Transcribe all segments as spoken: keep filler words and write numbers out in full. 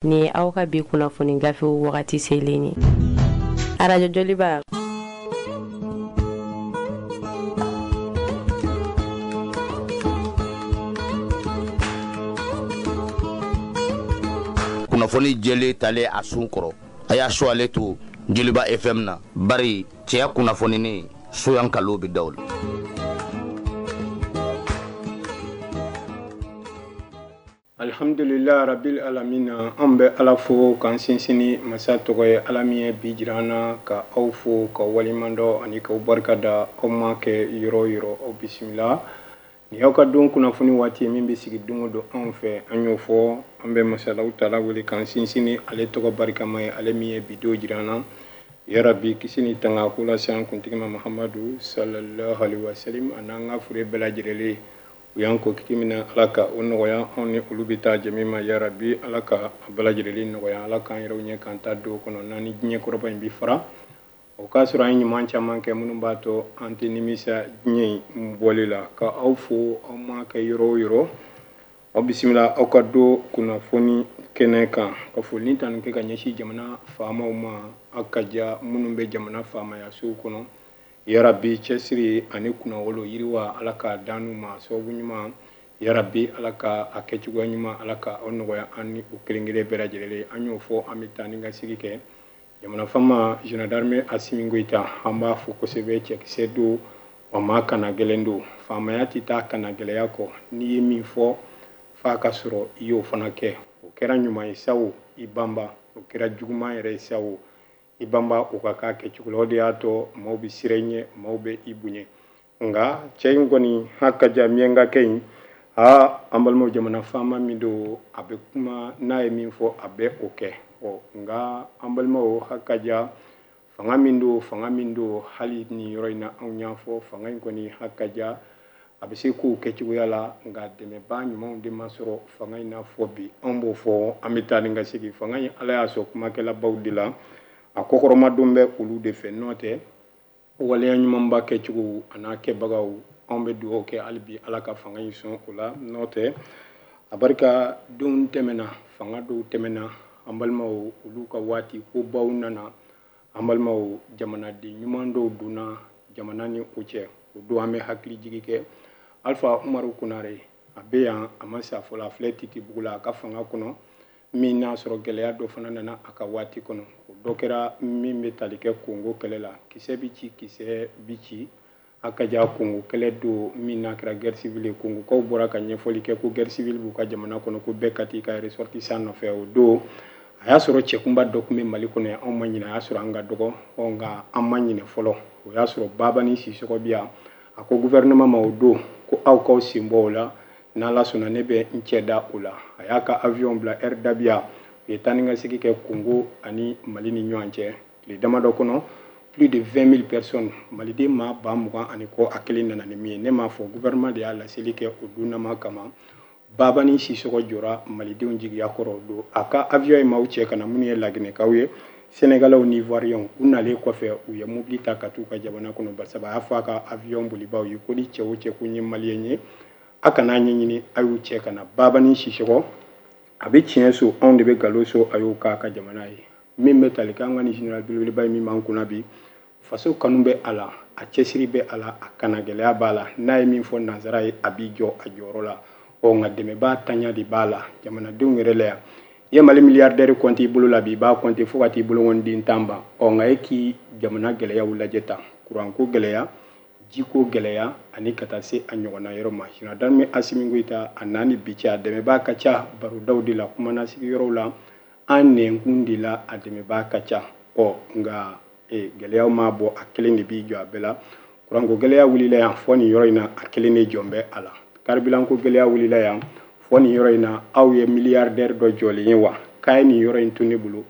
Nin ye aw ka bi kunnafoni gafew wagati selen ye. Arajo Joliba. Kunnafoni jɛlen talen a sun kɔrɔ, a y'a su ale to Joliba F M na, bari cɛya kunnafoni soyan kalo bɛ daw la. Alhamdulillah rabbil alamina, an bɛ Ala fo k'an sinsin ni masa tɔgɔ ye, Ala min ye bi jira an na, ka aw fo ka waleɲuman dɔn ani k'aw barika da. Aw ma kɛ yɔrɔ o yɔrɔ, aw bisimila. Nin y'aw ka don kunnafoni waati ye min bɛ sigi don o don anw fɛ. An y'o fɔ, an bɛ masalaw tala wele k'an sinsin ni ale tɔgɔ barikama ye, ale min ye bi don jira an na. Ya Rabbi, kisi ni tanga ko lase an kuntigi ma Muhamadu sallallahu alaihi wasallam, a n'an ka fure bɛɛ lajɛlen. U y'an ko kiti min na, Ala ka o nɔgɔya anw ni olu bɛ taa jɛ min ma. Ya Rabbi, Ala ka a bɛɛ lajɛlen nɔgɔya, Ala k'an yɛrɛw ɲɛ k'an ta don kɔnɔ n'an ni diɲɛ kɔrɔba in bi fara. O k'a sɔrɔ an ye ɲuman caman kɛ minnu b'a to an tɛ nimisa diɲɛ in bɔli la. Ka aw fo aw ma kɛ yɔrɔ o yɔrɔ, aw bisimila aw ka don kunnafoni kɛnɛ kan. Ka foli ni tanu kɛ ka ɲɛsin jamana faamaw ma, aw ka ja minnu bɛ jamana faamayasow kɔnɔ. Ya Rabbi, cɛsiri ani kunnawolo yiriwa, Ala k'a d'an n'u ma sababu ɲuman. Ya Rabbi, Ala ka a kɛcogoya ɲuman, Ala ka aw nɔgɔya an ni u kelen kelen bɛɛ lajɛlen. An y'o fɔ, an bɛ taa ni ka sigi kɛ. Jamana faama Général d'armée Assimi Goïta, an b'a fo kosɛbɛ. Cɛkisɛ don, wa maa kana gɛlɛn don. Faamaya tɛ taa kana gɛlɛya kɔ. N'i ye min fɔ f'a ka sɔrɔ i y'o fana kɛ. O kɛra ɲuman ye sa o, i banba. O kɛra juguman yɛrɛ ye sa o, i banba o ka k'a kɛcogo la. O de y'a to maaw bɛ siran i ɲɛ, maaw bɛ i bonya. Nka cɛ in kɔni, ha ka ja miyankakɛ in, aa an balimaw, jamana faama min don, a bɛ kuma, n'a ye min fɔ a bɛ o kɛ. Ɔ nka an balimaw, ha ka ja fanga min don, fanga min don, hali nin yɔrɔ in na anw y'a fɔ, fanga in kɔni ha ka ja a bɛ se k'o kɛcogoya la, nka dɛmɛbaa ɲumanw de ma sɔrɔ fanga in na fɔ bi. Anw b'o fɔ, an bɛ taa ni ka segin. Fanga in, Ala y'a sɔn kumakɛlabaw de la, a kɔkɔrɔmadon bɛ olu de fɛ. N'o tɛ waleya ɲumanba kɛcogo a n'a kɛbagaw, anw bɛ dugawu kɛ hali bi Ala ka fanga in sɔn o la. N'o tɛ a barika donw tɛmɛna, fanga dɔw tɛmɛna, an balimaw, olu ka waati kobaw nana. An balimaw, jamanaden ɲuman dɔw donna jamana ni o cɛ, o don an bɛ hakili jigi kɛ. Alpha Umaru Konare, a bɛ yan, a ma sa fɔlɔ, a filɛ Titibugu la a ka fanga kɔnɔ, min n'a sɔrɔ gɛlɛya dɔ fana nana a ka waati kɔnɔ. O dɔ kɛra min bɛ tali kɛ Kongo kɛlɛ la. Kisɛ bi ci, kisɛ bi ci. A ka ja Kongo kɛlɛ don min n'a kɛra guerre civile ye. Kongokaw bɔra ka ɲɛfɔli kɛ ko guerre civile b'u ka jamana kɔnɔ, ko bɛɛ ka t'i ka ressortissant nɔfɛ. O don a y'a sɔrɔ cɛkunba dɔ tun bɛ Mali kɔnɔ yan, anw ma ɲinɛ, a y'a sɔrɔ an ka dɔgɔ, ɔ nka an ma ɲinɛ fɔlɔ. O y'a sɔrɔ Babani Sisɔkɔ bi yan, a ko gouvernement ma o don ko aw k'aw sen bɔ o la, n'Ala sɔnna ne bɛ n cɛ da o la. A y'a ka avion bila Air Dabia, u ye taa ni ka segin kɛ Congo ani Mali ni ɲɔgɔn cɛ. Tile damadɔ kɔnɔ, plus de vingt mille personnes, maliden maa ba mugan ani kɔ, a kelen nana ni min ye. Ne m'a fɔ, gouvernement de y'a laseli kɛ o dunnama kama. Babani Sisɔkɔ jɔra malidenw jigiya kɔrɔ o don. A ka avion ye maaw cɛ ka na, minnu ye Laginɛkaw ye, Sénégalais ni Ivoiriens. U nalen kɔfɛ, u ye mobili ta ka t'u ka jamana kɔnɔ. Barisa a y'a fɔ a ka avion bolibaw ye ko ni cɛ o cɛ ko n ye malien ye, a kana ɲɛɲini, a y'u cɛ ka na. Babani Sisɔkɔ, a bɛ tiɲɛ so, anw de bɛ nkalon so, a y'o k'a ka jamana ye. Min bɛ tali kɛ an ka nin général belebeleba ye min b'an kunna bi, faso kanu bɛ a la, a cɛsiri bɛ a la, a kanagɛlɛya b'a la. N'a ye min fɔ nanzara ye, a b'i jɔ a jɔyɔrɔ la. Ɔ nka dɛmɛbaa tanya de b'a la jamanadenw yɛrɛ la yan. I ye Mali milliardaire compte i bolo la bi, i b'a compte fo ka t'i bolokɔniden tan ban. Ɔ nka e k'i jamana gɛlɛyaw lajɛ tan, kuranko gɛlɛya, jiko gɛlɛya, ani ka taa se a ɲɔgɔnna yɔrɔ ma. Général d'armée Assimi Goïta, a n'a ni bi cɛ, a dɛmɛbaa ka ca barodaw de la, kumanasigi yɔrɔw la, an nɛnkun de la, a dɛmɛbaa ka ca. Ɔ nka e, gɛlɛyaw m'a bɔ, a kelen de b'i jɔ a bɛɛ la. Kuranko gɛlɛya wulila yan fɔ nin yɔrɔ in na, a kelen de jɔn bɛ a la. Karibilanko gɛlɛya wulila yan fɔ nin yɔrɔ in na, aw ye milliardaire dɔ jɔlen ye wa? K'a ye nin yɔrɔ in to ne bolo,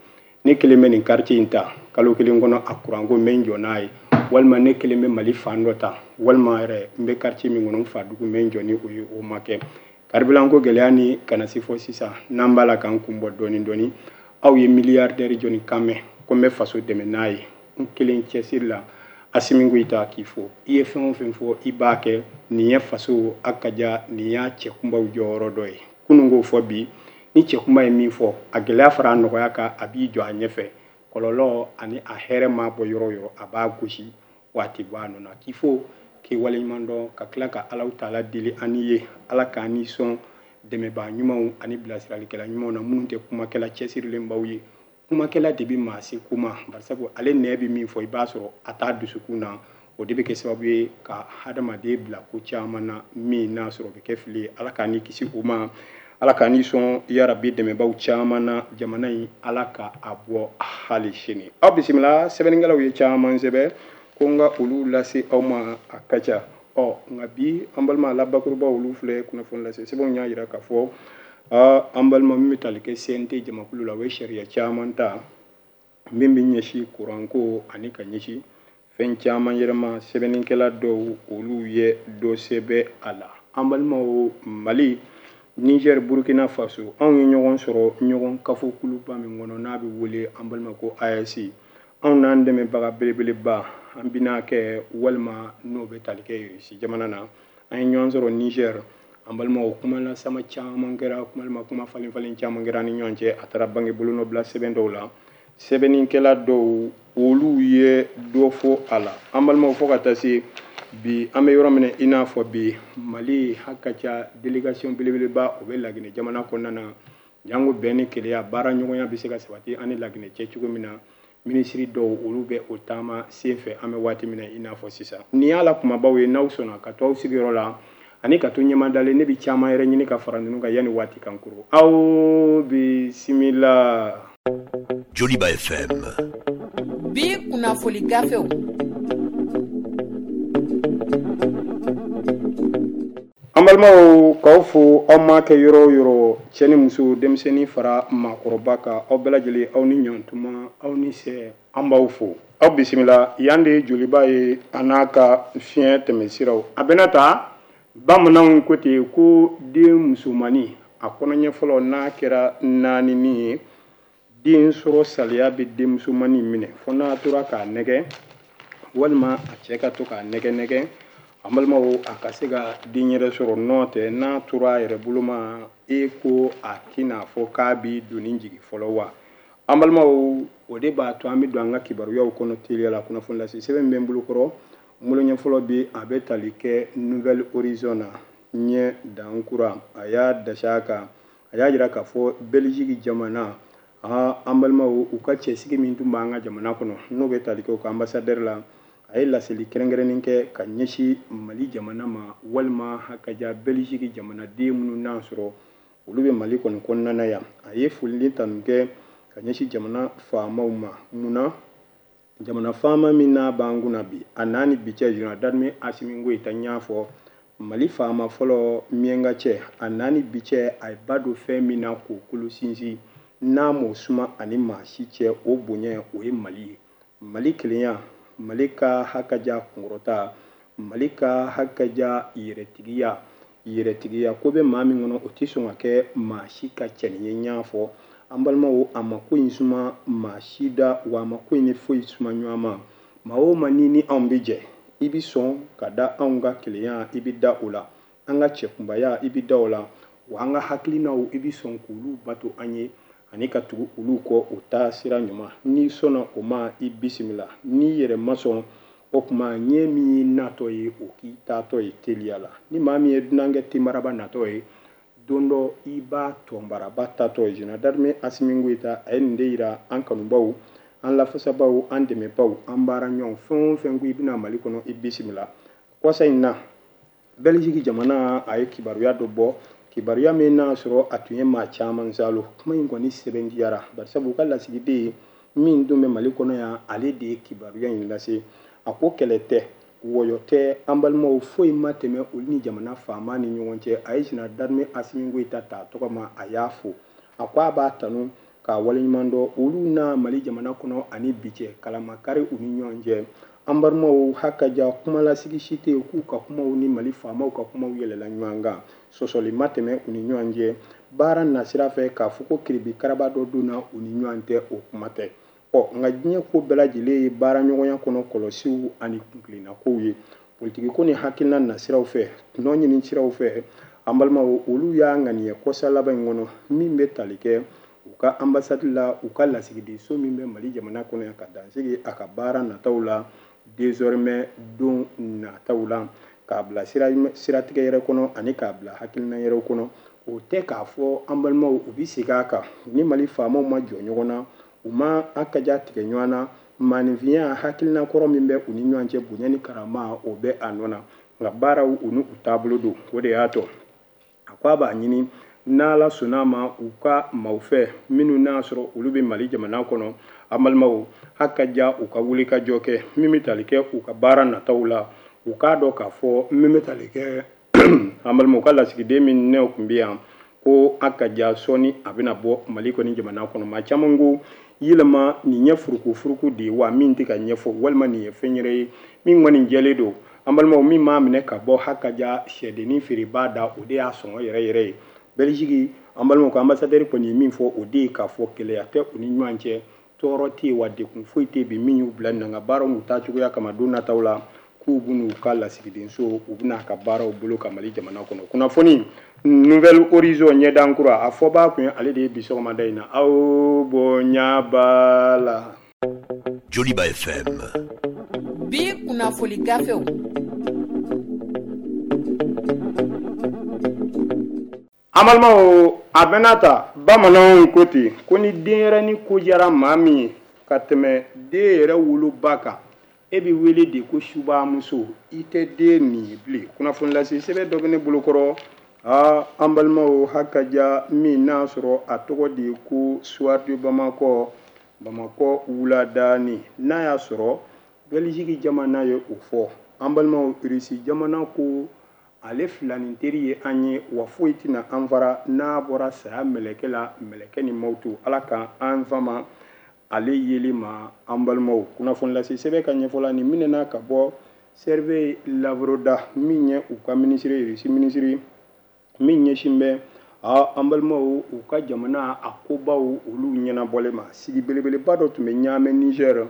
ne kelen bɛ nin quartier in ta, kalo kelen kɔnɔ a kuranko n bɛ n jɔ n'a ye, walima ne kelen bɛ Mali fan dɔ ta, walima yɛrɛ n bɛ quartier min kɔnɔ n fa dugu n bɛ n jɔ ni o ye. O ma kɛ. Karibilanko gɛlɛya ni kana se fɔ sisan, n'an b'a la k'an kun bɔ dɔɔni dɔɔni, aw ye milliardaire jɔnni kan mɛn ko n bɛ faso dɛmɛ n'a ye? N kelen cɛsiri la. Assimi Goïta k'i fo, i ye fɛn o fɛn fɔ i b'a kɛ. Nin ye faso a ka ja, nin y'a cɛkunbaw jɔyɔrɔ dɔ ye. Kunun k'o fɔ bi, Ni cɛkunba ye min fɔ, a gɛlɛya fara a nɔgɔya kan, a b'i jɔ a ɲɛfɛ. Kɔlɔlɔ ani a hɛrɛ ma bɔ yɔrɔ o yɔrɔ, a b'a gosi waati bɔ a nɔ na. K'i fo k'i waleɲuman dɔn, ka tila ka Alahu taala deli an ye, Ala k'an ni sɔn dɛmɛbaa ɲumanw ani bilasiralikɛla ɲumanw na, minnu tɛ kumakɛla cɛsirilenbaw ye. Kumakɛla de bɛ maa se kuma, barisabu ale nɛ bɛ min fɔ, i b'a sɔrɔ a t'a dusukun na. O de bɛ kɛ sababu ye ka hadamaden bila ko caman na min n'a sɔrɔ o bɛ kɛ fili ye. Ala k'an ni kisi o ma, Ala k'an ni sɔn yarabi dɛmɛbaw caman na jamana in, Ala ka a bɔ hali sini. Aw bisimila, sɛbɛnnikɛlaw ye caman sɛbɛn ko n ka olu lase aw ma, a ka ca. Ɔ nka bi an balima la bakuruba olu filɛ kunnafoni lase sɛbɛnw y'a jira k'a fɔ an balima min bɛ tali kɛ C N T jamakulu la, o ye sariya caman ta min bɛ ɲɛsin kuranko ani ka ɲɛsin fɛn caman yɛrɛ ma. Sɛbɛnnikɛla dɔw olu ye dɔ sɛbɛn a la. An balimaw, Mali, Niger, Burkina Faso, anw ye ɲɔgɔn sɔrɔ ɲɔgɔn kafo kuluba min kɔnɔ n'a bɛ wele an balima ko A S. Anw n'an dɛmɛbaga belebeleba an bɛna kɛ walima n'o bɛ tali kɛ Irisi jamana na. An ye ɲɔgɔn sɔrɔ Niger, an balimaw, kuma lasama caman kɛra, walima kuma falen falen caman kɛra ni ɲɔgɔn cɛ. A taara bange bolonɔbila sɛbɛn dɔw la. Sɛbɛnnikɛla dɔw olu ye dɔ fɔ a la. An balimaw, fo ka taa se bi an bɛ yɔrɔ min na i n'a fɔ bi, Mali haka ca délégation belebeleba o bɛ Laginɛ jamana kɔnɔna na. Jango bɛn ni kelenya, baara ɲɔgɔnya bɛ se ka sabati an ni Laginɛ cɛ cogo min na. Minisiri dɔw olu bɛ o taama sen fɛ an bɛ waati min na i n'a fɔ sisan. Nin y'a la kumabaw ye, n'aw sɔnna ka to aw sigiyɔrɔ la ani ka to ɲɛmadalen, ne bɛ caman yɛrɛ ɲini ka fara ninnu kan yanni waati kan koro. Aw bisimila. Joliba F M. Bi kunnafoni gafew. An balimaw, k'aw fo aw ma kɛ yɔrɔ o yɔrɔ, cɛ ni muso, denmisɛnnin fara maakɔrɔba kan, aw bɛɛ lajɛlen, aw ni ɲantuma, aw ni sɛ, an b'aw fo. Aw bisimila, yan de ye Joliba ye a n'a ka fiɲɛ tɛmɛsiraw. A bɛna ta bamananw ko ten ko den musomannin a kɔnɔɲɛ fɔlɔ n'a kɛra naani min ye, den sɔrɔ saliya bɛ den musomannin minɛ fo n'a tora k'a nɛgɛ walima a cɛ ka to k'a nɛgɛ nɛgɛ. An balimaw, a ka se ka den yɛrɛ sɔrɔ, n'o tɛ n'a tora a yɛrɛ bolo ma, e ko a tɛna fɔ k'a b'i doni jigin fɔlɔ wa. An balimaw, o de b'a to an bɛ don an ka kibaruyaw kɔnɔ teliya la. Kunnafoni lase sɛbɛn bɛ n bolo kɔrɔ, n bolo ɲɛ fɔlɔ bi a bɛ tali kɛ Nouvelle Horizon na ɲɛ dankura. A y'a dasi a kan, a y'a jira k'a fɔ Belgique jamana, an balimaw, u ka cɛsigi min tun b'an ka jamana kɔnɔ n'o bɛ tali kɛ u ka ambassadeur la, a ye laseli kɛrɛnkɛrɛnnen kɛ ka ɲɛsin Mali jamana ma, walima hakaja Belgique jamanaden minnu n'a sɔrɔ olu bɛ Mali kɔni kɔnɔna na yan. A ye foli ni tanu kɛ ka ɲɛsin jamana faamaw ma. Munna jamana faama min n'a b'an kunna bi, a n'a ni bi cɛ, Général d'armée Assimi Goïta y'a fɔ Mali faama fɔlɔ miɲanka cɛ, a n'a ni bi cɛ, a ye ba don fɛn min na k'o kolo sinsin, n'a m'o suma ani maa si cɛ, o bonya o ye Mali ye. Mali kelenya, Mali ka hakaja kunkɔrɔta, Mali ka hakaja yɛrɛtigiya, yɛrɛtigiya ko bɛ maa min kɔnɔ o tɛ sɔn ka kɛ maa si ka cɛnin ye. N y'a fɔ an balimaw, a ma ko in suma maa si da, wa a ma ko in ni foyi suma ɲɔgɔn ma. Maa o maa ni ni anw bɛ jɛ, i bɛ sɔn ka da anw ka kelenya, i bɛ da o la, an ka cɛkunbaya, i bɛ da o la, wa an ka hakilinaw, i bɛ sɔn k'olu bato an ye ani ka tugu olu kɔ o taa sira ɲuman. N'i sɔnna o ma, i bisimila. N'i yɛrɛ ma sɔn o kuma, ɲɛ min y'i natɔ ye, o k'i taatɔ ye teliya la. Ni maa min ye dunankɛ tenbaraba natɔ ye, don dɔ i b'a tɔnbaraba tatɔ ye. Général d'armée Assimi Goïta a ye nin de yira an kanubaw, an lafasabaw, an dɛmɛbaw, an baara ɲɔgɔn fɛn o fɛn ko i bɛna Mali kɔnɔ, i bisimila. Kɔsa in na, Belgique jamana a ye kibaruya dɔ bɔ, kibaruya min n'a sɔrɔ a tun ye maa caman salo. Kuma in kɔni sɛbɛntiyara, barisabu u ka lasigiden min tun bɛ Mali kɔnɔ yan, ale de ye kibaruya in lase. A ko kɛlɛ tɛ, wɔyɔ tɛ, an balimaw, foyi ma tɛmɛ olu ni jamana faama ni ɲɔgɔn cɛ. A ye Général d'armée Assimi Goïta ta tɔgɔ ma, a y'a fo, a ko a b'a tanu k'a waleɲuman dɔn olu n'a Mali jamana kɔnɔ ani bi cɛ kalamakari u ni ɲɔgɔn cɛ. An balimaw, hakaja kumalasigi si tɛ yen k'u ka kumaw ni Mali faamaw ka kumaw yɛlɛla ɲɔgɔn kan, sɔsɔli ma tɛmɛ u ni ɲɔgɔn cɛ. Baara nasira fɛ k'a fɔ ko kiribi karaba dɔ donna u ni ɲɔgɔn tɛ, o kuma tɛ. Ɔ nka diɲɛ ko bɛɛ lajɛlen ye baara ɲɔgɔnya kɔnɔ kɔlɔsiw ani kuntilennakow ye. Politiki ko ni hakilina nasiraw fɛ, tɔnɔ ɲini siraw fɛ, An balimaw, olu y'a ŋaniya kɔsa laban in kɔnɔ min bɛ tali kɛ u ka ambassade la, u ka lasigidenso min bɛ Mali jamana kɔnɔ yan, ka dansigi a ka baara nataw la désormais don nataw la, k'a bila siratigɛ yɛrɛ kɔnɔ ani k'a bila hakilina yɛrɛ kɔnɔ. O tɛ k'a fɔ an balimaw u bɛ segin a kan ni Mali faamaw ma jɔ ɲɔgɔn na, u ma a kaja tigɛ ɲɔgɔn na, maaninfinya hakilina kɔrɔ min bɛ u ni ɲɔgɔn cɛ, bonya ni karama, o bɛ a nɔ na, nka baaraw u n'u taabolo don. O de y'a to a ko a b'a ɲini n'Ala sɔnna ma u ka maaw fɛ minnu n'a sɔrɔ olu bɛ Mali jamana kɔnɔ, an balimaw, hakaja u ka wuli ka jɔ kɛ min bɛ tali kɛ u ka baara nataw la, u k'a dɔn k'a fɔ min bɛ tali kɛ an balimaw ka lasigiden min ne tun bɛ yan ko hakaja sɔɔni a bɛna bɔ Mali kɔni jamana kɔnɔ. Maa caman ko yɛlɛma nin ye furuku furuku de ye wa min tɛ ka ɲɛfɔ, walima nin ye fɛn yɛrɛ ye min kɔni jɛlen don. An balimaw, min m'a minɛ ka bɔ hakaja sɛdennin feerebaa da, o de y'a sɔngɔ yɛrɛ yɛrɛ ye. Belgique, an balimaw ka ambassadeur kɔni ye min fɔ, o de ye k'a fɔ kɛlɛya tɛ u ni ɲɔgɔn cɛ, tɔɔrɔ tɛ yen wa degun foyi tɛ bi min y'u bila nin na, nka baaraw n'u taacogoya kama don nataw la k'u b'u ka lasigidenso, u bɛna ka baaraw bolo ka Mali jamana kɔnɔ. Kunnafoni Nouvelle Horizon ɲɛdan kura, a fɔbaa kun ye ale de ye bi sɔgɔmada in na. Aw bonya b'a la. Joliba F M. Bi kunnafoni gafew. An balimaw, a bɛna ta bamananw ko ten ko ni denyɛrɛnin ko diyara maa min ye ka tɛmɛ den yɛrɛ woloba kan, e bɛ wele de ko subamuso, i tɛ den nin ye bilen. Kunnafoni lase sɛbɛn dɔ bɛ ne bolokɔrɔ. Aa, an balimaw, hakaja min n'a sɔrɔ a tɔgɔ de ye ko Soir de Bamakɔ, Bamakɔ wuladaani, n'a y'a sɔrɔ Belgique jamana ye o fɔ. An balimaw, Russie jamana ko ale filanin teri ye an ye, wa foyi tɛna an fara n'a bɔra saya mɛlɛkɛ la, mɛlɛkɛ ni mawutu, Ala ka an fama ale yeli ma. An balimaw, kunnafoni lase sɛbɛn ka ɲɛfɔla nin minɛna ka bɔ Sergei Lavrov da, min ye u ka minisiri, Russie minisiri min ɲɛsin bɛ a an balimaw u ka jamana a kobaw olu ɲɛnabɔlen ma. Sigi belebeleba dɔ tun bɛ Niamey Niger,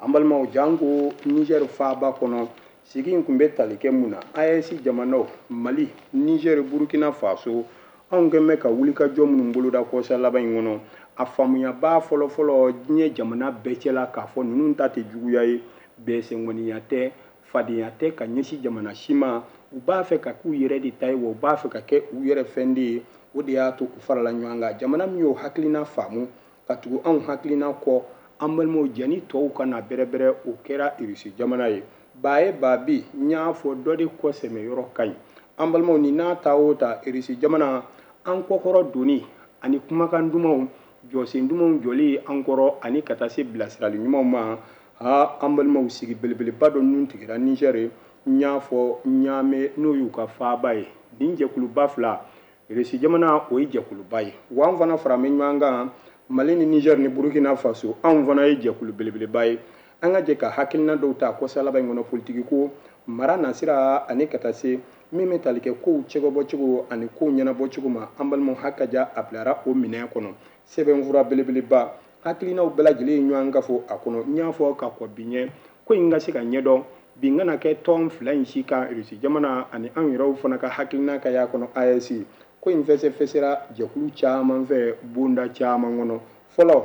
an balimaw, janko Niger faaba kɔnɔ. Sigi in tun bɛ tali kɛ mun na? A E S jamanaw, Mali, Niger, Burkina Faso, anw kɛn bɛ ka wulikajɔ minnu boloda kɔsa laban in kɔnɔ, a faamuyaba fɔlɔfɔlɔ diɲɛ jamana bɛɛ cɛla k'a fɔ ninnu ta tɛ juguya ye, bɛsɛnkɔniya tɛ, fadenya tɛ ka ɲɛsin jamana si ma, u b'a fɛ ka k'u yɛrɛ de ta ye, wa u b'a fɛ ka kɛ u yɛrɛ fɛn de ye. O de y'a to u farala ɲɔgɔn kan. Jamana min y'o hakilina faamu ka tugu anw hakilina kɔ, an balimaw, jɛni tɔw ka na bɛrɛbɛrɛ, o kɛra Russie jamana ye. Ba ye ba bi, n y'a fɔ dɔ de kɔ sɛmɛ yɔrɔ ka ɲi. An balimaw, ni n'a ta o ta, Russie jamana an kɔkɔrɔ donni ani kumakan dumanw, jɔsen dumanw jɔli an kɔrɔ ani ka taa se bilasirali ɲumanw ma. Aa, an balimaw, sigi belebeleba dɔ nun tigɛra Niger, n y'a fɔ Niamey n'o y'u ka faaba ye. Nin jɛkuluba fila, Russie jamana o ye jɛkuluba ye, wa an fana fara bɛ ɲɔgɔn kan, Mali ni Niger ni Burkina Faso, anw fana ye jɛkulu belebeleba ye. An ka jɛ ka hakilina dɔw ta kɔsa laban in kɔnɔ, politiki ko, mara nasira ani ka taa se min bɛ tali kɛ kow cɛbɔcogo ani kow ɲɛnabɔcogo ma. An balimaw, hakaja a bilara o minɛn kɔnɔ. Sɛbɛnfura belebeleba, hakilinaw bɛɛ lajɛlen ye ɲɔgɔn ka fɔ a kɔnɔ. N y'a fɔ ka kɔn bi ɲɛ, ko in ka se ka ɲɛdɔn bi n kana kɛ tɔn fila in si kan, Russie jamana ani anw yɛrɛw fana ka hakilina ka y'a kɔnɔ. A E S ko in fɛsɛfɛsɛra jɛkulu caman fɛ, bonda caman kɔnɔ. Fɔlɔ,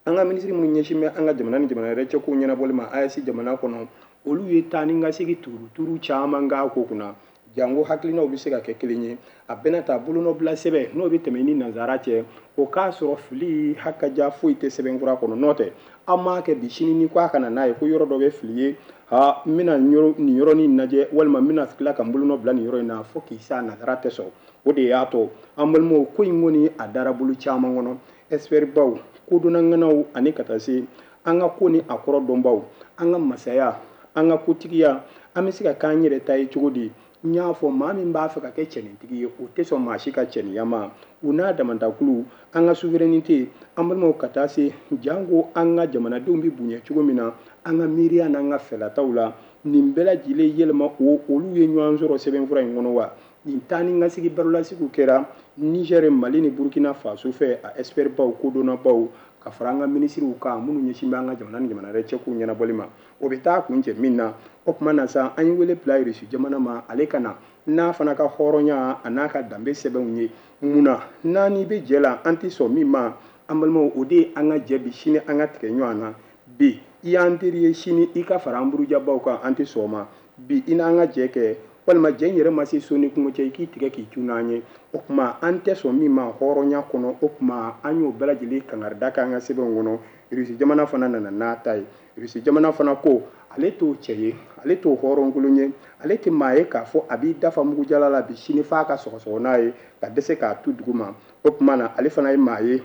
an ka minisiri minnu ɲɛsin bɛ an ka jamana ni jamana yɛrɛ cɛ kow ɲɛnabɔli ma A E S jamana kɔnɔ, olu ye taa ni ka segin turuturu caman k'a ko kunna, janko hakilinaw bɛ se ka kɛ kelen ye. A bɛna ta bolonɔbila sɛbɛn n'o bɛ tɛmɛ ni nanzara cɛ, o k'a sɔrɔ fili hakaja foyi tɛ sɛbɛnfura kɔnɔ. N'o tɛ, an m'a kɛ bi sini ni ko a kana n'a ye ko yɔrɔ dɔ bɛ fili ye, ha, n bɛna nin yɔrɔnin lajɛ, walima n bɛna tila ka n bolonɔ bila nin yɔrɔ in na, fo k'i sa nanzara tɛ sɔn. O de y'a to an balimaw, ko in kɔni a dara bolo caman kɔnɔ, expert baw, kodɔnnaŋanaw ani ka taa se an ka ko ni a kɔrɔ dɔnbaw, an ka masaya, an ka kotigiya, an bɛ se ka k'an yɛrɛ ta ye cogo di? N y'a fɔ maa min b'a fɛ ka kɛ cɛnintigi ye, o tɛ sɔn maa si ka cɛniya ma. U n'a damantakulu, an ka souveraineté, an balimaw, ka taa se janko an ka jamanadenw bɛ bonya cogo min na, an ka miiriya n'an ka fɛlataw la, nin bɛɛ lajɛlen yɛlɛma o olu ye ɲɔgɔn sɔrɔ sɛbɛnfura in kɔnɔ wa. Nin taa ni ka sigi barolasigiw kɛra Niger, Mali ni Burkina Faso fɛ, a expert baw, kodɔnnabaw, ka fara an ka minisiriw kan minnu ɲɛsin bɛ an ka jamana ni jamana wɛrɛ cɛkow ɲɛnabɔli ma. O bɛ taa kun cɛ min na, o tuma na sa, an ye wele bila Irisi jamana ma, ale ka na n'a fana ka hɔrɔnya a n'a ka danbe sɛbɛnw ye. Mun na n'an bɛ jɛ la, an tɛ sɔn min ma, an balimaw, o de ye an ka jɛ bi sini an ka tigɛ ɲɔgɔn na. Bi i y'an teri ye, sini i ka fara an burujabaw kan, an tɛ sɔn o ma. Bi i n'an ka jɛ kɛ, walima jɛ in yɛrɛ ma se so ni kungo cɛ, i k'i tigɛ k'i cun n'an ye. O tuma an tɛ sɔn min ma hɔrɔnya kɔnɔ, o tuma an y'o bɛɛ lajɛlen kangarida k'an ka sɛbɛnw kɔnɔ. Irisi jamana fana nana n'a ta ye. Irisi jamana fana ko ale t'o cɛ ye, ale t'o hɔrɔnkolon ye, ale tɛ maa ye k'a fɔ a b'i dafa mugujala la bi sini f'a ka sɔgɔsɔgɔ n'a ye ka dɛsɛ k'a tu dugu ma. O tuma na ale fana ye maa ye,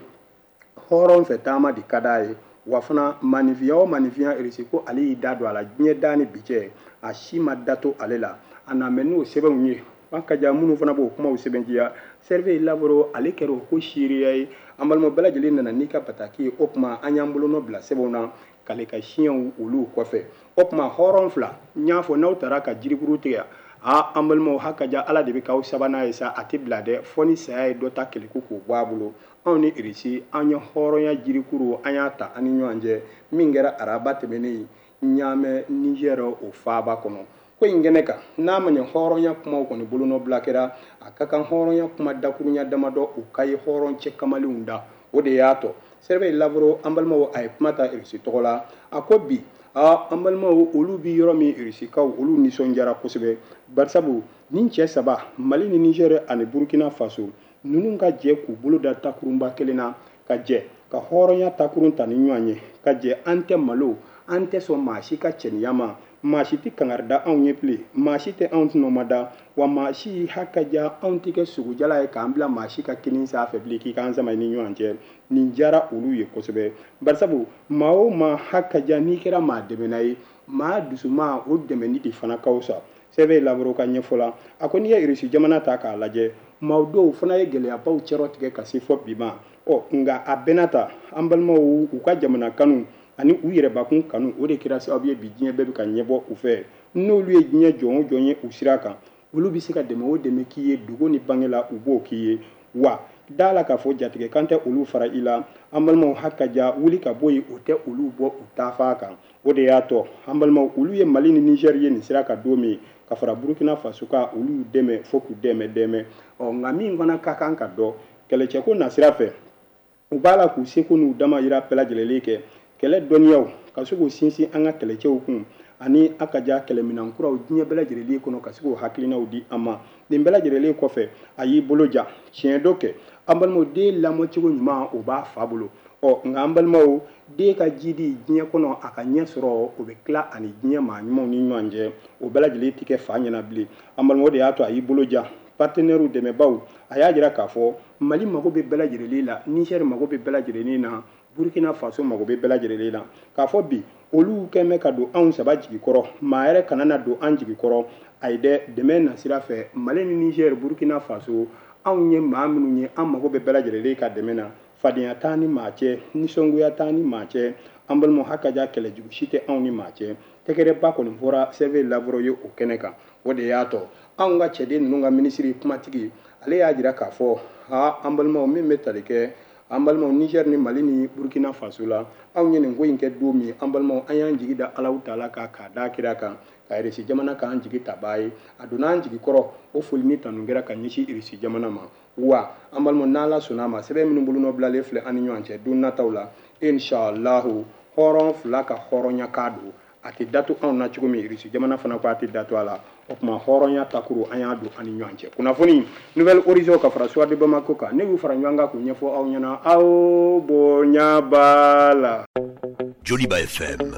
hɔrɔn fɛ taama de ka d'a ye. Wa fana maninfinya o maninfinya, Irisi ko ale y'i da don a la diɲɛ da ni bi cɛ, a si ma da to ale la. A na mɛ n'o sɛbɛnw ye, an ka ja minnu fana b'o kumaw sɛbɛntiya. Sergei Lavrov ale kɛra o ko seereya ye. An balima bɛɛ lajɛlen nana n'i ka bataki ye. O tuma an y'an bolonɔ bila sɛbɛnw na k'ale ka siɲɛw olu kɔfɛ. O tuma hɔrɔn fila, n y'a fɔ n'aw taara ka jirikuru tigɛ, aa an balimaw, ha ka ja Ala de bɛ k'aw sabanan ye sa, a tɛ bila dɛ, fɔ ni saya ye dɔ ta kɛlɛko k'o bɔ a bolo. Anw ni Irisi, an ye hɔrɔnya jirikuru, an y'a ta an ni ɲɔgɔn cɛ, min kɛra araba tɛmɛnen Ɲamɛ Nizɛri o faaba kɔnɔ. Ko in kɛnɛ kan, n'a ma ɲɛ hɔrɔnya kumaw kɔni bolonɔbila kɛra, a ka kan hɔrɔnya kuma dakurunya damadɔ o ka ye hɔrɔn cɛ kamalenw da. O de y'a tɔ Sergei Lavrov, an balimaw, a ye kuma ta Irisi tɔgɔ la. A ko bi aa an balimaw, olu bi yɔrɔ min, Irisikaw olu nisɔndiyara kosɛbɛ, barisabu nin cɛ saba, Mali ni Nizɛri ani Burukina Faso, ninnu ka jɛ k'u bolo da takurunba kelen na, ka jɛ ka hɔrɔnya takurun ta ni ɲɔgɔn ye, ka jɛ an tɛ malo, an tɛ sɔn maa si ka cɛniya ma, maa si tɛ kangari da anw ye bilen, maa si tɛ anw tɔnɔma da, wa maa si hakaja anw tɛ kɛ sogojala ye k'an bila maa si ka kinin sanfɛ bilen k'i k'an sama ni ɲɔgɔn cɛ. Nin diyara olu ye kosɛbɛ, barisabu maa o maa hakaja n'i kɛra maa dɛmɛna ye, maa dusuma o dɛmɛni de fana ka fisa. Sergei Lavrov ka ɲɛfɔ la, a ko n'i ye Irisi jamana ta k'a lajɛ, maa dɔw fana ye gɛlɛyabaw cɛrɔ tigɛ ka se fɔ bi ma. Ɔ nka a bɛɛ n'a ta, an balimaw, u ka jamana kanu ani u yɛrɛbakun kanu, o de kɛra sababu ye bi diɲɛ bɛɛ bɛ ka ɲɛbɔ u fɛ. N'olu ye diɲɛ jɔn o jɔn ye u sira kan, olu bɛ se ka dɛmɛ o dɛmɛ k'i ye dogo ni bange la, u b'o k'i ye. Wa da la k'a fɔ jatigɛ kan tɛ olu fara i la. An balimaw, hakaja wuli ka bɔ yen, o tɛ olu bɔ u taafan kan. O de y'a tɔ an balimaw, olu ye Mali ni Nizɛri ye nin sira kan don min, ka fara Burukina Faso kan, olu y'u dɛmɛ fo k'u dɛmɛ dɛmɛ. Ɔ nka min fana ka kan ka dɔn kɛlɛcɛko nasira fɛ, u b'a la k'u seko n'u damayira bɛɛ lajɛlen kɛ kɛlɛ dɔnniyaw ka se k'u sinsin an ka kɛlɛcɛw kun, ani a ka ja kɛlɛminan kuraw diɲɛ bɛɛ lajɛlen kɔnɔ, ka se k'o hakilinaw di an ma. Nin bɛɛ lajɛlen kɔfɛ, a y'i bolo ja tiɲɛ dɔ kɛ. An balimaw, den lamɔcogo ɲuman o b'a fa bolo. Ɔ nka an balimaw, den ka jidi diɲɛ kɔnɔ a ka ɲɛ sɔrɔ, o bɛ tila ani diɲɛ maa ɲumanw ni ɲɔgɔn cɛ, o bɛɛ lajɛlen tɛ kɛ fa ɲɛna bilen. An balimaw, o de y'a to a y'i bolo ja partenaires dɛmɛbaw, a y'a jira k'a fɔ Mali mago bɛ bɛɛ lajɛlen la, Nizɛri mago bɛ bɛɛ lajɛlen na, Burukina Faso mago bɛ bɛɛ lajɛlen na. K'a fɔ bi olu kɛn bɛ ka don anw saba jigi kɔrɔ, maa yɛrɛ kana na don an jigi kɔrɔ. Ayi dɛ, dɛmɛ nasira fɛ, Mali ni Nizɛri, Burukina Faso, anw ye maa minnu ye, an mago bɛ bɛɛ lajɛlen ka dɛmɛ na. Fadenya t'an ni maa cɛ, nisɔngoya t'an ni maa cɛ. An balimaw, hakaja kɛlɛjugu si tɛ anw ni maa cɛ. Tɛgɛrɛba kɔni fɔra Sergei Lavrov ye o kɛnɛ kan. O de y'a tɔ anw ka cɛden ninnu ka minisiri kumatigi, ale y'a jira k'a fɔ aa an balimaw, min bɛ tali kɛ an balimaw Nizɛri ni Mali ni Burukina Faso la, anw ye nin ko in kɛ don min, an balimaw, an y'an jigi da Alahu taala kan, k'a da kira kan, ka Irisi jamana k'an jigi tabaa ye. A donna an jigi kɔrɔ, o foli ni tanu kɛra ka ɲɛsin Irisi jamana ma. Wa an balimaw, n'Ala sɔnna a ma, sɛbɛn minnu bolonɔ bilalen filɛ an ni ɲɔgɔn cɛ don nataw la, inshallahu hɔrɔn fila ka hɔrɔnya k'a don, a tɛ datu anw na cogo min, Irisi jamana fana ko a tɛ datu a la. O tuma hɔrɔnya takuru an y'a don an ni ɲɔgɔn cɛ. Kunnafoni Nouvel Horizon ka fara Soir de Bamako kan, ne y'u fara ɲɔgɔn kan k'u ɲɛfɔ aw ɲɛna, aw bonya b'a la. Joliba F M.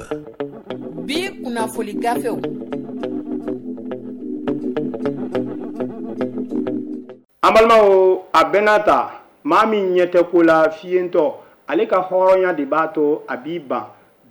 Bi kunnafoni gafew. An balimaw, a bɛɛ n'a ta, maa min ɲɛ tɛ ko la fiyentɔ, ale ka hɔrɔnya de b'a to a b'i ban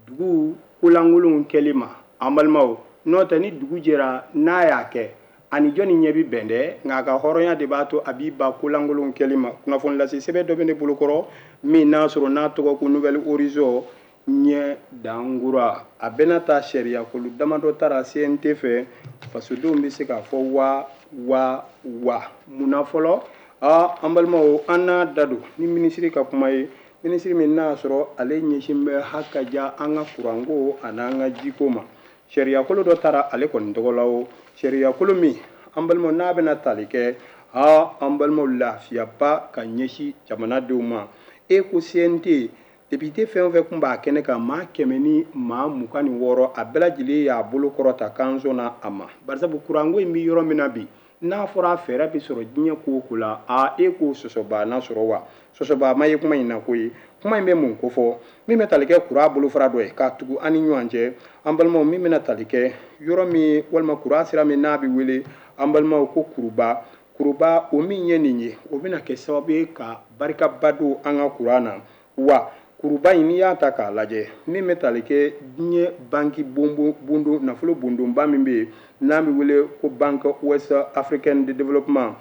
dugu kolankolonw kɛli ma. An balimaw, n'o tɛ ni dugu jɛra n'a y'a kɛ, ani jɔnni ɲɛ bi bɛn dɛ, nka a ka hɔrɔnya de b'a to a b'i ban kolankolonw kɛli ma. Kunnafoni lase sɛbɛn dɔ bɛ ne bolokɔrɔ min n'a sɔrɔ n'a tɔgɔ ko Nouvel Horizon ɲɛ dankura. A bɛɛ n'a ta sariyakolo damadɔ taara C N T fɛ, fasodenw bɛ se k'a fɔ wa wa wa. Munna fɔlɔ? Aa an balimaw, an n'a da don ni minisiri ka kuma ye Minisiri min n'a sɔrɔ ale ɲɛsin bɛ hakaja an ka kuranko ani an ka jiko ma. Sariyakolo dɔ taara ale kɔni tɔgɔ la o sariyakolo min an balimaw n'a bɛna tali kɛ aa an balimaw lafiyaba ka ɲɛsin jamanadenw ma. E ko C N T député fɛn o fɛn tun b'a kɛnɛ kan maa kɛmɛ ni maa mugan ni wɔɔrɔ a bɛɛ lajɛlen y'a bolo kɔrɔta kanso na a ma. Barisabu kuranko in bɛ yɔrɔ min na bi n'a fɔra fɛɛrɛ bɛ sɔrɔ diɲɛ ko o ko la aa e k'o sɔsɔbaa na sɔrɔ wa sɔsɔbaa ma ye kuma in na koyi. Kuma in bɛ mun ko fɔ min bɛ tali kɛ kuran bolofara dɔ ye k'a tugu an ni ɲɔgɔn cɛ an balimaw min bɛna tali kɛ yɔrɔ min walima kuran sira min n'a bɛ wele an balimaw ko kuruba kuruba o min ye nin ye o bɛna kɛ sababu ye ka barikaba don an ka kuran na. Wa kuruba in n'i y'a ta k'a lajɛ min bɛ tali kɛ diɲɛ banki bondon nafolo bondonba min bɛ yen n'a bɛ wele ko Banque Ouest Africaine de Développement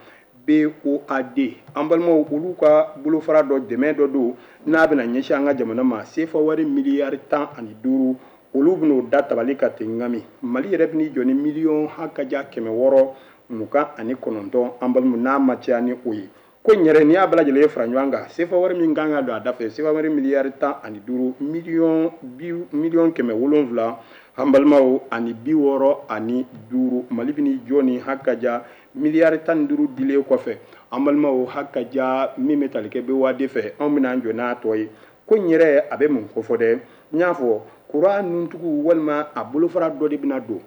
B O A D an balimaw olu ka bolofara dɔ dɛmɛ dɔ don n'a bɛna ɲɛsin an ka jamana ma sefa wari miliyari tan ani duuru olu bɛn'o da tabali ka ten ŋami. Mali yɛrɛ bɛn'i jɔ ni miliyɔn hakaja kɛmɛ wɔɔrɔ mugan ani kɔnɔntɔn an balimaw n'a ma caya ni o ye. Ko in yɛrɛ n'i y'a bɛɛ lajɛlen fara ɲɔgɔn kan sefa wari min kan ka don a da fɛ sefa wari miliyari tan ani duuru miliyɔn bi miliyɔn kɛmɛ wolonwula an balimaw ani bi wɔɔrɔ ani duuru Mali bɛn'i jɔ ni hakaja miliyari tan ni duuru dilen kɔfɛ an balimaw hakaja min bɛ tali kɛ B O A D fɛ anw bɛna an jɔ n'a tɔ ye. Ko in yɛrɛ a bɛ mun kofɔ dɛ n y'a fɔ kuran nuntugu walima a bolofara dɔ de bɛna don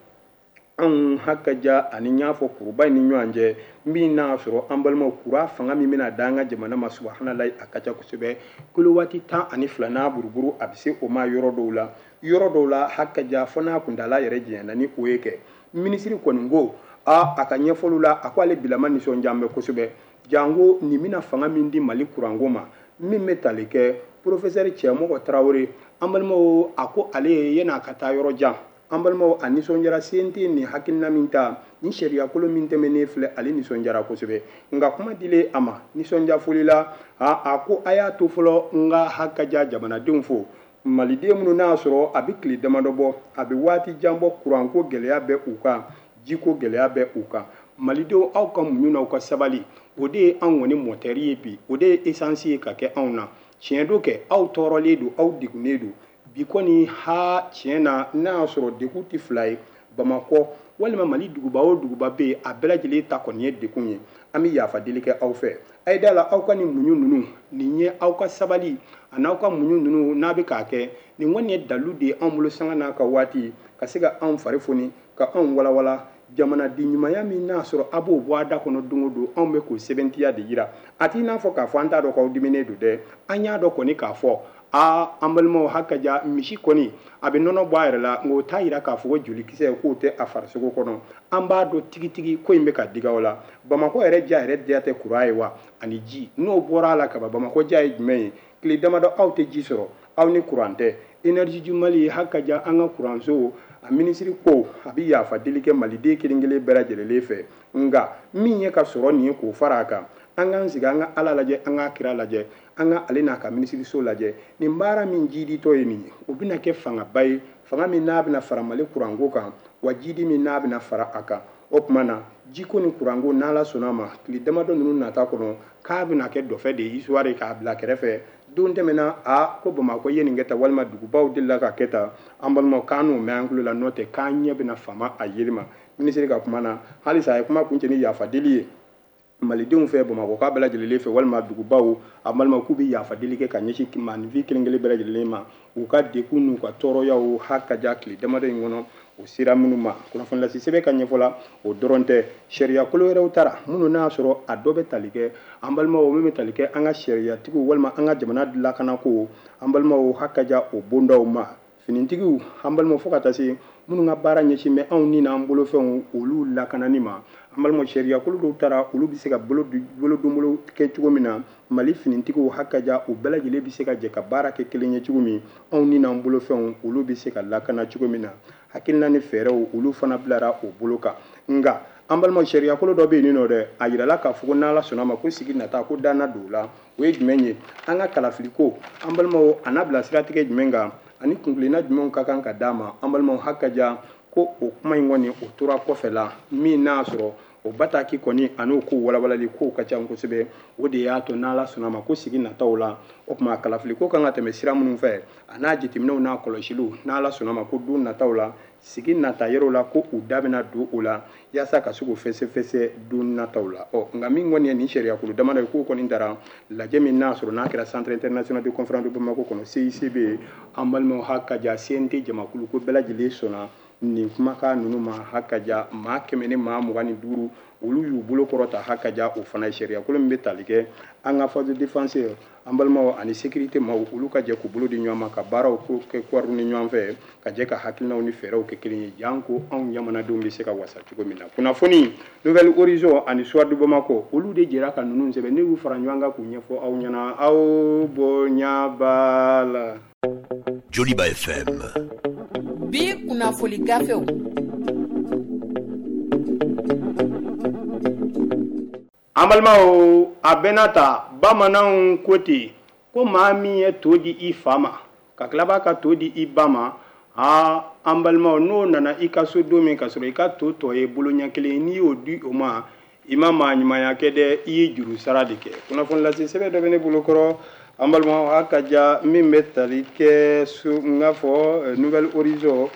anw hakaja ani n y'a fɔ kuruba in ni ɲɔgɔn cɛ min n'a sɔrɔ an balimaw kuran fanga min bɛna da an ka jamana ma subahanallahi a ka ca kosɛbɛ kilowati tan ani fila n'a buruburu a bɛ se o ma yɔrɔ dɔw la yɔrɔ dɔw la hakaja fo n'a kuntaala yɛrɛ janyana ni o ye kɛ. Minisiri kɔni ko a a ka ɲɛfɔliw la a ko ale bilama nisɔndiya bɛ kosɛbɛ janko nin bɛna fanga min di Mali kuranko ma min bɛ tali kɛ professeur Cɛmɔgɔ Tarawele an balimaw a ko ale yan'a ka taa yɔrɔ jan an balimaw a nisɔndiyara C N T nin hakilina min ta ni sariyakolo min tɛmɛnen filɛ ale nisɔndiyara kosɛbɛ. Nka kuma dilen a ma nisɔndiya foli la a a ko a y'a to fɔlɔ n ka hakaja jamanadenw fo maliden minnu n'a sɔrɔ a bɛ tile damadɔ bɔ a bɛ waati jan bɔ kuranko gɛlɛya bɛ u kan jiko gɛlɛya bɛ u kan. Malidenw aw ka muɲu n'aw ka sabali o de ye anw kɔni mɔtɛri ye bi o de ye esansi ye ka kɛ anw na. Tiɲɛ don kɛ aw tɔɔrɔlen don aw degunnen don bi kɔni ha tiɲɛ na n'a y'a sɔrɔ degun tɛ fila ye Bamakɔ walima Mali duguba o duguba bɛ yen a bɛɛ lajɛlen ta kɔni ye degun ye. An bɛ yafa deli kɛ aw fɛ a ye da la aw ka nin muɲu ninnu nin ye aw ka sabali a n'aw ka muɲu ninnu n'a bɛ k'a kɛ nin kɔni ye dalu de ye anw bolo sanga n'a ka waati ka se ka anw fari foni ka anw walawala jamanaden ɲumanya min n'a sɔrɔ a b'o bɔ a da kɔnɔ don o don anw bɛ k'o sɛbɛntiya de yira. A t'i n'a fɔ k'a fɔ an t'a dɔn k'aw diminen don dɛ an y'a dɔn kɔni k'a fɔ aa an balimaw hakaja misi kɔni a bɛ nɔnɔ bɔ a yɛrɛ la nka o t'a yira k'a fɔ ko jolikisɛ k'o tɛ a farisogo kɔnɔ. An b'a dɔn tigitigi ko in bɛ ka diga o la. Bamakɔ yɛrɛ ja yɛrɛ diya tɛ kuran ye wa ani ji n'o bɔra a la kaban Bamakɔ ja ye jumɛn ye tile damadɔ aw tɛ ji sɔrɔ aw ni kuran tɛ. Énergie du Mali hakaja an ka kuranso a minisiri ko a bɛ yafa deli kɛ maliden kelen kelen bɛɛ lajɛlen fɛ nka min ye ka sɔrɔ nin ye k'o fara a kan an k'an sigi an ka Ala lajɛ an ka kira lajɛ an ka ale n'a ka minisiriso lajɛ nin baara min jiditɔ ye nin ye o bɛna kɛ fangaba ye fanga min n'a bɛna fara Mali kuranko kan wa jidi min n'a bɛna fara a kan. O tuma na jiko ni kuranko n'Ala sɔnna a ma tile damadɔ ninnu nata kɔnɔ k'a bɛna kɛ dɔfɛ de ye histoire k'a bila kɛrɛfɛ. Don tɛmɛna a ko Bamakɔ ye nin kɛ tan walima dugubaw delila ka kɛ tan an balimaw k'an n'o mɛn an tulo la n'o tɛ k'an ɲɛ bɛna fama a yeli ma. Minisiri ka kuma na halisa a ye kuma kuncɛ ni yafa deli ye malidenw fɛ Bamakɔ k'a bɛɛ lajɛlen fɛ walima dugubaw a balimaw k'u bɛ yafa deli kɛ ka ɲɛsin maaninfin kelen kelen bɛɛ lajɛlen ma u ka degun n'u ka tɔɔrɔyaw hakaja tile damadɔ in kɔnɔ o sera minnu ma. Kunnafoni lase sɛbɛn ka ɲɛfɔ la o dɔrɔn tɛ sariyakolo wɛrɛw taara minnu n'a sɔrɔ a dɔ bɛ tali kɛ an balimaw min bɛ tali kɛ an ka sariyatigiw walima an ka jamana lakanako an balimaw hakaja o bondaw ma finitigiw an balimaw fo ka taa se minnu ka baara ɲɛsin bɛ anw ni n'an bolofɛnw olu lakanani ma. An balimaw sariyakolo dɔw taara olu bɛ se ka bolo bolodonbolo kɛ cogo min na Mali finitigiw hakaja u bɛɛ lajɛlen bɛ se ka jɛ ka baara kɛ kelen ye cogo min anw ni n'an bolofɛnw olu bɛ se ka lakana cogo min na. Hakilina ni fɛɛrɛw olu fana bilara o bolo kan. Nka an balimaw sariyakolo dɔ bɛ yen nɔ dɛ a yirala k'a fɔ ko n'Ala sɔnna ma ko sigi nata ko danna don o la o ye jumɛn ye an ka kalafiliko an balimaw a n'a bila siratigɛ jumɛn kan ani kunkilenna jumɛnw ka kan ka d'a ma an balimaw hakaja ko o kuma in kɔni o tora kɔfɛ la min n'a sɔrɔ O bataki kɔni a n'o ko walawalali kow ka ca kosɛbɛ. O de y'a to n'Ala sɔnna ma ko sigi nataw la, o tuma kalafili ko kan ka tɛmɛ sira minnu fɛ, a n'a jateminɛw n'a kɔlɔsiliw, n'Ala sɔnna ma ko don nataw la, sigi nata yɔrɔ la, ko u da bɛna don o la yaasa ka se k'o fɛsɛfɛsɛ don nataw la. Ɔ nka min kɔni ye nin sariyakulu damadɔ ye, k'o kɔni taara lajɛ min n'a sɔrɔ n'a kɛra Centre international de conférence de Bamako kɔnɔ, C I C B, an balimaw hakaja C N T jamakulu ko bɛɛ lajɛlen sɔnna nin kumakan ninnu ma. Hakaja maa kɛmɛ ni maa mugan ni duuru olu y'u bolo kɔrɔta hakaja o fana ye sariyakolo min bɛ tali kɛ an ka force de défense, an balimaw ani sécurité maaw, olu ka jɛ k'u bolo di ɲɔgɔn ma ka baaraw kɛ kɔri ni ɲɔgɔn fɛ, ka jɛ ka hakilinaw ni fɛɛrɛw kɛ kelen ye, janko anw jamanadenw bɛ se ka wasa cogo min na. Kunnafoni Nouvelle Horizon ani Soir de Bamako, olu de jɛra ka ninnu sɛbɛn, ne y'u fara ɲɔgɔn kan k'u ɲɛfɔ aw ɲɛna, aw bonya b'a la. Joliba F M. Bi kunnafoni gafew. An balimaw, a bɛnna ta bamananw ko ten ko maa min ye to di i fa ma ka tila b'a ka to di i ba ma, aa an balimaw, n'o nana i ka so don min ka sɔrɔ i ka to tɔ ye bolo ɲɛ kelen, n'i y'o di o ma, i ma maa ɲumanya kɛ dɛ, i ye juru sara de kɛ. Kunnafoni lase sɛbɛn dɔ bɛ ne bolo kɔrɔ, an balimaw, a ka ja min bɛ tali kɛ so n k'a fɔ Nouvelle Horizon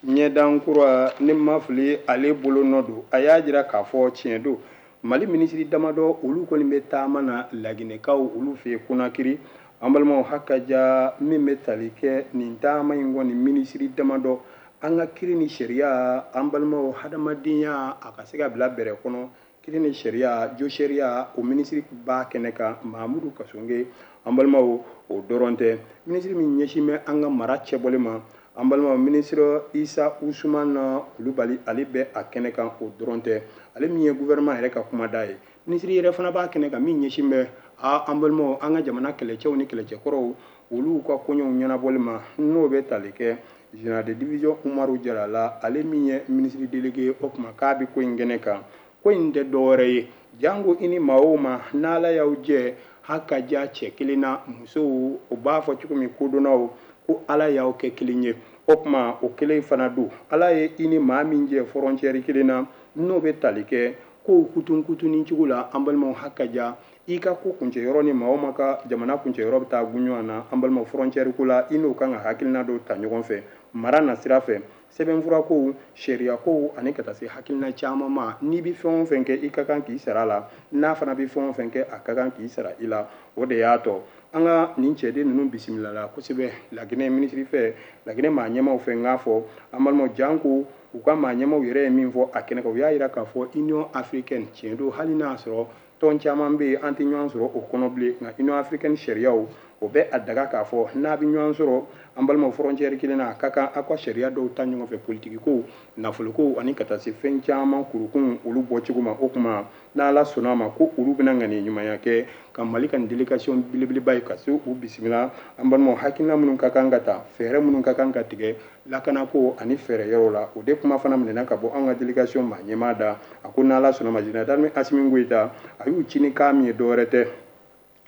ɲɛdan kura, ne ma fili ale bolo nɔ don. A y'a jira k'a fɔ tiɲɛ don, Mali minisiri damadɔ olu kɔni bɛ taama na Laginɛkaw olu fɛ yen Konakiri. An balimaw, hakaja min bɛ tali kɛ nin taama in kɔni minisiri damadɔ, an ka kiiri ni sariya, an balimaw, hadamadenya a ka se ka bila bɛrɛ kɔnɔ, kiiri ni sariya, jo sariya, o minisiri b'a kɛnɛ kan, Mahamudu Kasonge. An balimaw, o dɔrɔn tɛ, minisiri min ɲɛsin bɛ an ka mara cɛbɔli ma, an balimaw, minisiri Isa Usumana Kulubali, ale bɛ a kɛnɛ kan, o dɔrɔn tɛ, ale min ye gouvernement yɛrɛ ka kumada ye, minisiri yɛrɛ fana b'a kɛnɛ kan min ɲɛsin bɛ a an balimaw, an ka jamana kɛlɛcɛw ni kɛlɛcɛkɔrɔw olu ka koɲɛw ɲɛnabɔli ma, n'o bɛ tali kɛ général de division Umaru Jara la, ale min ye minisiri délégué, o tuma k'a bɛ ko in kɛnɛ kan. Ko in tɛ dɔwɛrɛ ye, janko i ni maa o maa n'Ala y'aw jɛ hakaja cɛ kelen na, musow o b'a fɔ cogo min kodɔnnaw ko Ala y'aw kɛ kelen ye, o tuma o kelen fana don. Ala ye i ni maa min jɛ frontière kelen na, n'o bɛ tali kɛ kow kutun kutunni cogo la, an balimaw, hakaja i ka ko kuncɛ yɔrɔ ni maa o maa ka jamana kuncɛ yɔrɔ bɛ taa gun ɲɔgɔn na, an balimaw, frontière ko la, i n'o kan ka hakilina dɔw ta ɲɔgɔn fɛ mara na sira fɛ, sɛbɛnfura kow, sariya kow, ani ka taa se hakilina caman ma. N'i bɛ fɛn o fɛn kɛ, i ka kan k'i sara a la, n'a fana bɛ fɛn o fɛn kɛ, a ka kan k'i sara i la. O de y'a tɔ an ka nin cɛden ninnu bisimila la kosɛbɛ Laginɛ minisiri fɛ, Laginɛ maa ɲɛmaaw fɛ. N k'a fɔ an balimaw, janko u ka maa ɲɛmaaw yɛrɛ ye min fɔ a kɛnɛ kan, u y'a jira k'a fɔ Union africaine tiɲɛ don, hali n'a sɔrɔ tɔn caman bɛ yen an tɛ ɲɔgɔn sɔrɔ o kɔnɔ bilen, nka Union africaine sariyaw o bɛ a daga k'a fɔ n'a bɛ ɲɔgɔn sɔrɔ an balimaw frontière kelen na, a ka kan aw ka sariya dɔw ta ɲɔgɔn fɛ, politiki kow, nafolo kow, ani ka taa se fɛn caman kurukun olu bɔcogo ma. O tuma n'Ala sɔnna a ma ko olu bɛna ŋaniya ɲumanya kɛ ka Mali ka nin délégation belebeleba ye ka se u bisimila. An balimaw, hakilina minnu ka kan ka ta, fɛɛrɛ minnu ka kan ka tigɛ lakanako ani fɛɛrɛ yɔrɔ la, o de kuma fana minɛna ka bɔ an ka délégation maa ɲɛmaa da. A ko n'Ala sɔnna ma, général d'armée Assimi Goïta a y'u ci ni kan min ye dɔwɛrɛ tɛ,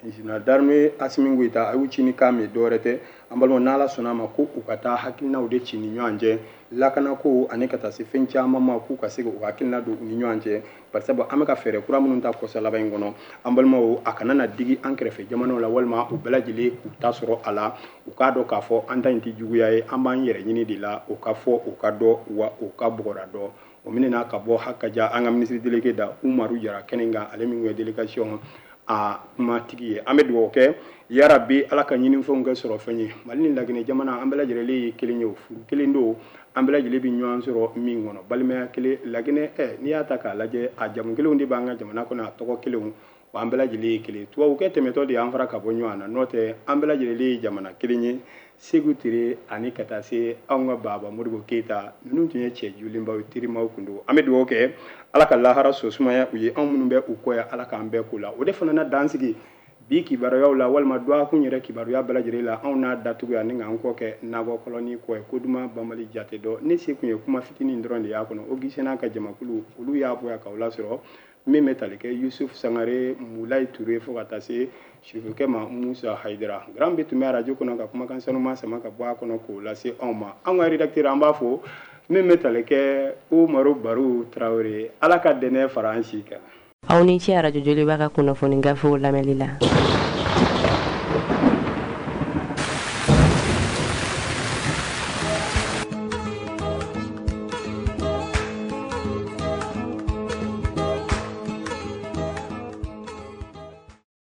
général d'armée Assimi Goïta a y'u ci ni kan min ye dɔwɛrɛ tɛ, an balimaw, n'Ala sɔnna a ma ko u ka taa hakilinaw de ci ni ɲɔgɔn cɛ lakanako ani ka taa se fɛn caman ma, k'u ka se k'u hakilina don u ni ɲɔgɔn cɛ. Barisa an bɛ ka fɛɛrɛ kura minnu ta kɔsa laban in kɔnɔ, an balimaw, a kana na digi an kɛrɛfɛ jamanaw la, walima u bɛɛ lajɛlen k'u ta sɔrɔ a la, u k'a dɔn k'a fɔ an ta in tɛ juguya ye, an b'an yɛrɛ ɲini de la, o ka fɔ, o ka dɔn, wa o ka bɔgɔra dɔn. O minɛna ka bɔ hakaja an ka minisiri délégué da Umaru Jara kɛnɛ kan, ale min ye délégation a kumatigi ye. An bɛ dugawu kɛ yarabi Ala ka ɲinifɛnw kɛ sɔrɔ fɛn ye. Mali ni Laginɛ jamana an bɛɛ lajɛlen ye kelen ye, o furu kelen don, an bɛɛ lajɛlen bɛ ɲɔgɔn sɔrɔ min kɔnɔ, balimaya kelen. Laginɛ ɛ n'i y'a ta k'a lajɛ, a jamu kelenw de b'an ka jamana kɔnɔ, a tɔgɔ kelenw, wa an bɛɛ lajɛlen ye kelen. Tubabukɛ tɛmɛtɔ de y'an fara ka bɔ ɲɔgɔn na, n'o tɛ an bɛɛ lajɛlen ye jamana kelen ye. Seku Ture ani ka taa se anw ka Baba Modibo Keyita, ninnu tun ye cɛ jolenbaw ye, terimaw kun don. An bɛ dugawu kɛ Ala ka lahara so sumaya u ye, anw minnu bɛ u kɔ yan, Ala k'an bɛɛ ko la. O de fana na dan sigi bi kibaruyaw la, walima dɔgɔkun yɛrɛ kibaruya bɛɛ lajɛlen la, anw n'a datugu yan ni k'an kɔ kɛ nakɔ kɔlɔni kɔ ye, ko duman banbali jate dɔ. Ne se kun ye kuma fitinin dɔrɔn de y'a kɔnɔ. O gisɛnna ka jamakulu olu y'a bɔ yan k'aw lasɔrɔ, min bɛ tali kɛ Yusuf Sangare, Mulayi Ture, fo ka taa se sufukɛ ma Musa Hayidara. Grand B tun bɛ arajo kɔnɔ ka kumakan sanuma sama ka bɔ a kɔnɔ k'o lase anw ma. Anw ka rédacteur an b'a fo Min bɛ tali kɛ Umaru Baru Tarawele, Ala ka dɛnɛ fara an si kan. Aw ni ce Arajo Joliba ka kunnafoni gafew lamɛnli la.